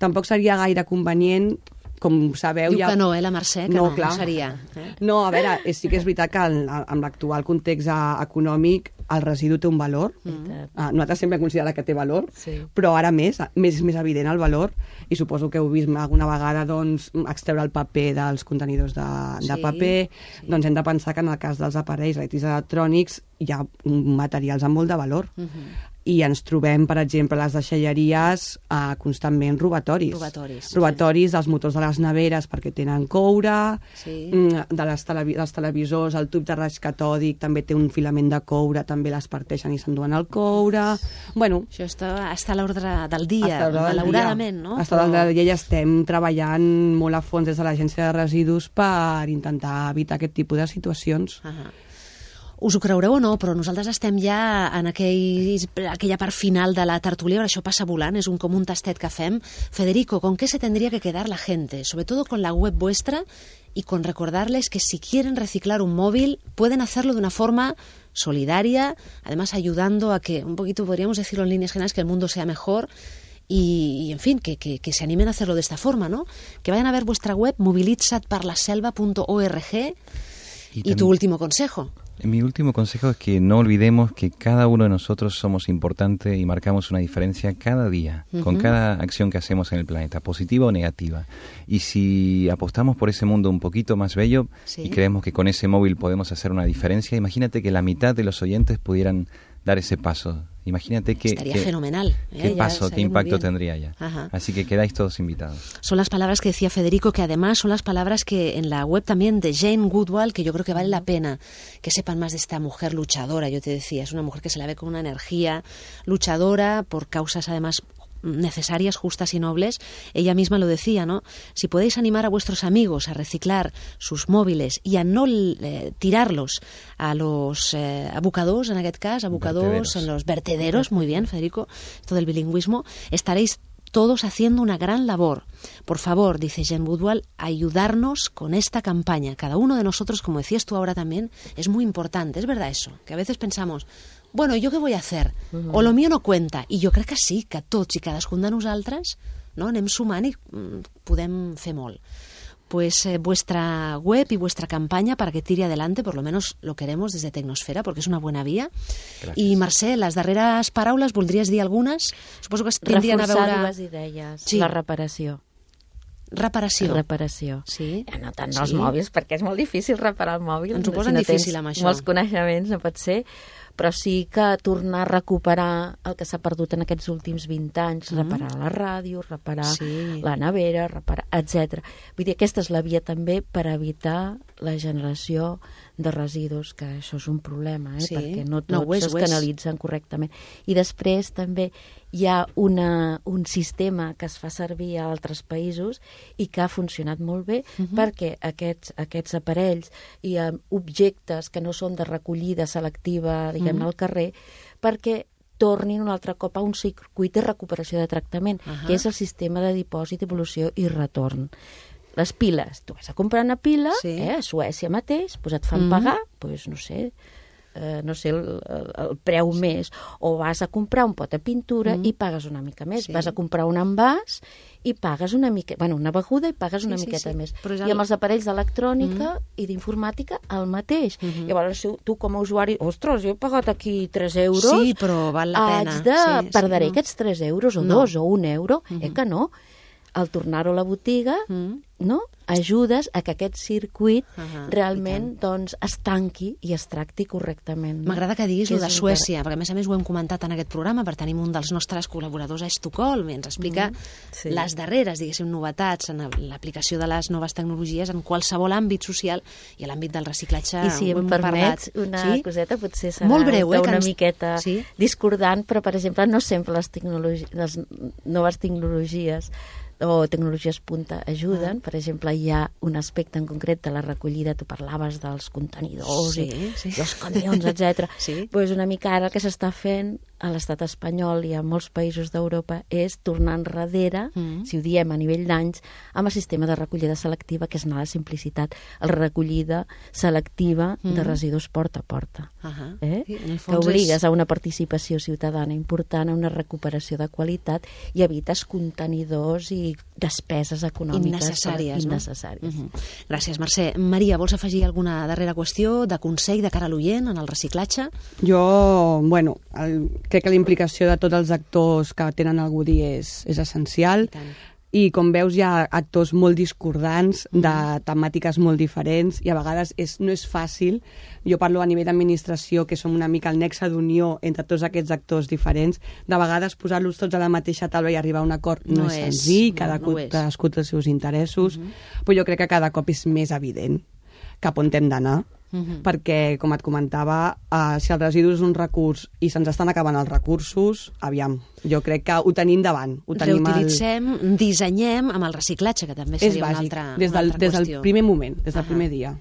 Tampoc seria gaire convenient, com sabeu... Diu que no, la Mercè, que no seria. No, a veure, sí que és veritat que amb l'actual context econòmic el residu té un valor. Nosaltres sempre hem considerat que té valor, però ara més evident el valor, i suposo que heu vist alguna vegada extreure el paper dels contenidors de paper. Doncs hem de pensar que en el cas dels aparells electrònics hi ha materials amb molt de valor. I ens trobem, per exemple, a les deixalleries constantment robatoris. Robatoris dels motors de les neveres perquè tenen coure, dels televisors, el tub de raig catòdic també té un filament de coure, també les parteixen i s'enduen el coure. Bueno, això està a l'ordre del dia, malauradament, no? Està a l'ordre del dia i estem treballant molt a fons des de l'Agència de Residus per intentar evitar aquest tipus de situacions. Us ho creureu o no, però nosaltres estem ja en aquella part final de la tertulia, això passa volant, es como un tastet que fem. Federico, ¿con qué se tendría que quedar la gente? Sobre todo con la web vuestra y con recordarles que si quieren reciclar un móvil, pueden hacerlo de una forma solidaria, además ayudando a que, un poquito podríamos decirlo en líneas generales, que el mundo sea mejor. Y en fin, que se animen a hacerlo de esta forma, ¿no? Que vayan a ver vuestra web, mobilitzatparlaselva.org. ¿Y tu último consejo? Mi último consejo es que no olvidemos que cada uno de nosotros somos importantes y marcamos una diferencia cada día, con cada acción que hacemos en el planeta, positiva o negativa. Y si apostamos por ese mundo un poquito más bello y creemos que con ese móvil podemos hacer una diferencia, imagínate que la mitad de los oyentes pudieran dar ese paso. Imagínate estaría fenomenal. Qué paso, qué impacto tendría ya. Así que quedáis todos invitados. Son las palabras que decía Federico, que además son las palabras que en la web también de Jane Goodall, que yo creo que vale la pena que sepan más de esta mujer luchadora. Yo te decía, es una mujer que se la ve con una energía luchadora por causas además necesarias, justas y nobles. Ella misma lo decía, ¿no? Si podéis animar a vuestros amigos a reciclar sus móviles y a no tirarlos a los abocadors, en aquest cas, abocadors en los vertederos, muy bien, Federico, esto del bilingüismo, estaréis todos haciendo una gran labor. Por favor, dice Jane Goodall, ayudarnos con esta campaña. Cada uno de nosotros, como decías tú ahora también, es muy importante. Es verdad eso, que a veces pensamos, bueno, ¿yo qué voy a hacer? O lo mío no cuenta. I jo crec que sí, que tots i cadascun de nosaltres anem sumant i podem fer molt. Pues vuestra web y vuestra campaña para que tire adelante, por lo menos lo queremos desde Tecnosfera, porque es una buena vía. Gràcies. I Mercè, les darreres paraules, voldries dir algunes? Suposo que tindrien a veure... Reforçar dues idees. Sí. La reparació. Reparació. Sí. No tant els mòbils, perquè és molt difícil reparar el mòbil. Ens ho posen difícil amb això. Molts coneixements, no pot ser, però sí que tornar a recuperar el que s'ha perdut en aquests últims 20 anys, reparar la ràdio, reparar la nevera, etc. Vull dir, aquesta és la via també per evitar la generació de residus, que això és un problema, perquè no tots es canalitzen correctament. I després també hi ha un sistema que es fa servir a altres països i que ha funcionat molt bé perquè aquests aparells i objectes que no són de recollida selectiva, diguem-ne, al carrer, perquè tornin un altre cop a un circuit de recuperació de tractament, que és el sistema de dipòsit, evolució i retorn. les piles. Tu vas a comprar una pila, a Suècia mateix, et fan pagar, no sé el preu més, o vas a comprar un pot de pintura i pagues una mica més, vas a comprar un envàs i pagues una miqueta, una beguda i pagues una miqueta més. I amb els aparells d'electrònica i d'informàtica el mateix. Llavors tu com a usuari, ostres, jo he pagat aquí 3 euros, sí, però val la pena. Perdré aquests 3 euros o 2 o 1 euro, que no. Al tornar-ho a la botiga, ajudes a que aquest circuit realment es tanqui i es tracti correctament. M'agrada que diguis el de Suècia, perquè a més ho hem comentat en aquest programa, perquè tenim un dels nostres col·laboradors a Estocolm i ens explica les darreres, diguéssim, novetats en l'aplicació de les noves tecnologies en qualsevol àmbit social i a l'àmbit del reciclatge. I si em permets una coseta, potser serà molt breu, una miqueta discordant, però per exemple no sempre les noves tecnologies o tecnologies punta ajuden. Per exemple, hi ha un aspecte en concret de la recollida, tu parlaves dels contenidors i els camions, etc. Doncs una mica ara el que s'està fent a l'estat espanyol i a molts països d'Europa és tornar enrere, si ho diem a nivell d'anys, amb el sistema de recollida selectiva, que és anar a la simplicitat, la recollida selectiva de residus porta a porta. Que obligues a una participació ciutadana important, a una recuperació de qualitat i evites contenidors i despeses econòmiques innecessàries. Gràcies, Mercè. Maria, vols afegir alguna darrera qüestió de consell de cara a l'oient en el reciclatge? Jo, crec que la implicació de tots els actors que tenen algú a dir és essencial. I com veus hi ha actors molt discordants, de temàtiques molt diferents, i a vegades no és fàcil. Jo parlo a nivell d'administració, que som una mica el nexe d'unió entre tots aquests actors diferents. De vegades posar-los tots a la mateixa taula i arribar a un acord no és senzill, cadascú té els seus interessos, però jo crec que cada cop és més evident cap on hem d'anar. Perquè, com et comentava, si el residu és un recurs i se'ns estan acabant els recursos, aviam, jo crec que ho tenim davant. Reutilitzem, dissenyem amb el reciclatge, que també seria una altra qüestió. Des del primer moment, des del primer dia.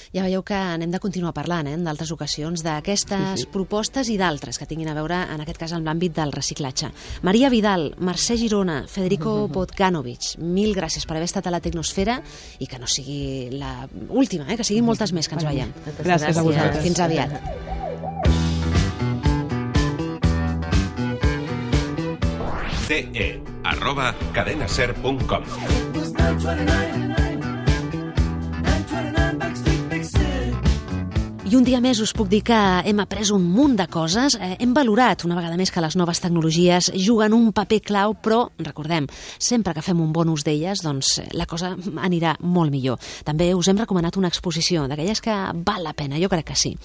Ja veieu que n'hem de continuar parlant en d'altres ocasions d'aquestes propostes i d'altres que tinguin a veure, en aquest cas, amb l'àmbit del reciclatge. Maria Vidal, Mercè Girona, Federico Bogdanovic, mil gràcies per haver estat a la Tecnosfera i que no sigui l'última, que siguin moltes més que ens veiem. Gràcies a vosaltres. Fins aviat. ce@cadenaser.com. I un dia més us puc dir que hem après un munt de coses, hem valorat una vegada més que les noves tecnologies juguen un paper clau, però, recordem, sempre que fem un bon ús d'elles, doncs la cosa anirà molt millor. També us hem recomanat una exposició d'aquelles que val la pena, jo crec que sí.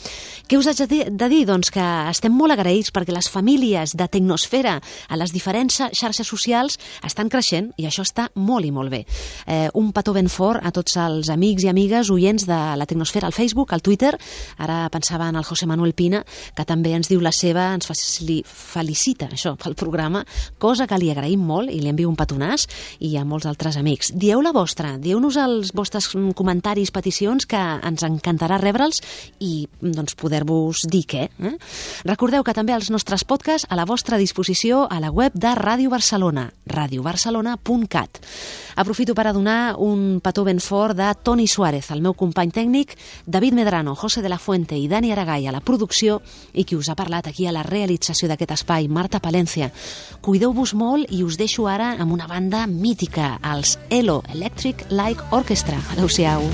Què us haig de dir? Doncs que estem molt agraïts perquè les famílies de Tecnosfera a les diferents xarxes socials estan creixent i això està molt i molt bé. Un petó ben fort a tots els amics i amigues oients de la Tecnosfera al Facebook, al Twitter. Ara pensava en el José Manuel Pina, que també ens diu la seva, ens felicita això pel programa, cosa que li agraïm molt i li envio un petonàs, i a molts altres amics. Dieu la vostra, dieu-nos els vostres comentaris, peticions, que ens encantarà rebre'ls i doncs poder-vos dir què. Recordeu que també els nostres podcasts a la vostra disposició a la web de Ràdio Barcelona, radiobarcelona.cat. Aprofito per a donar un petó ben fort de Toni Suárez, el meu company tècnic, David Medrano, José de la Fuente i Dani Aragay a la producció, i qui us ha parlat aquí a la realització d'aquest espai, Marta Palencia. Cuideu-vos molt i us deixo ara amb una banda mítica, els ELO, Electric Light Orchestra. Adéu-siau.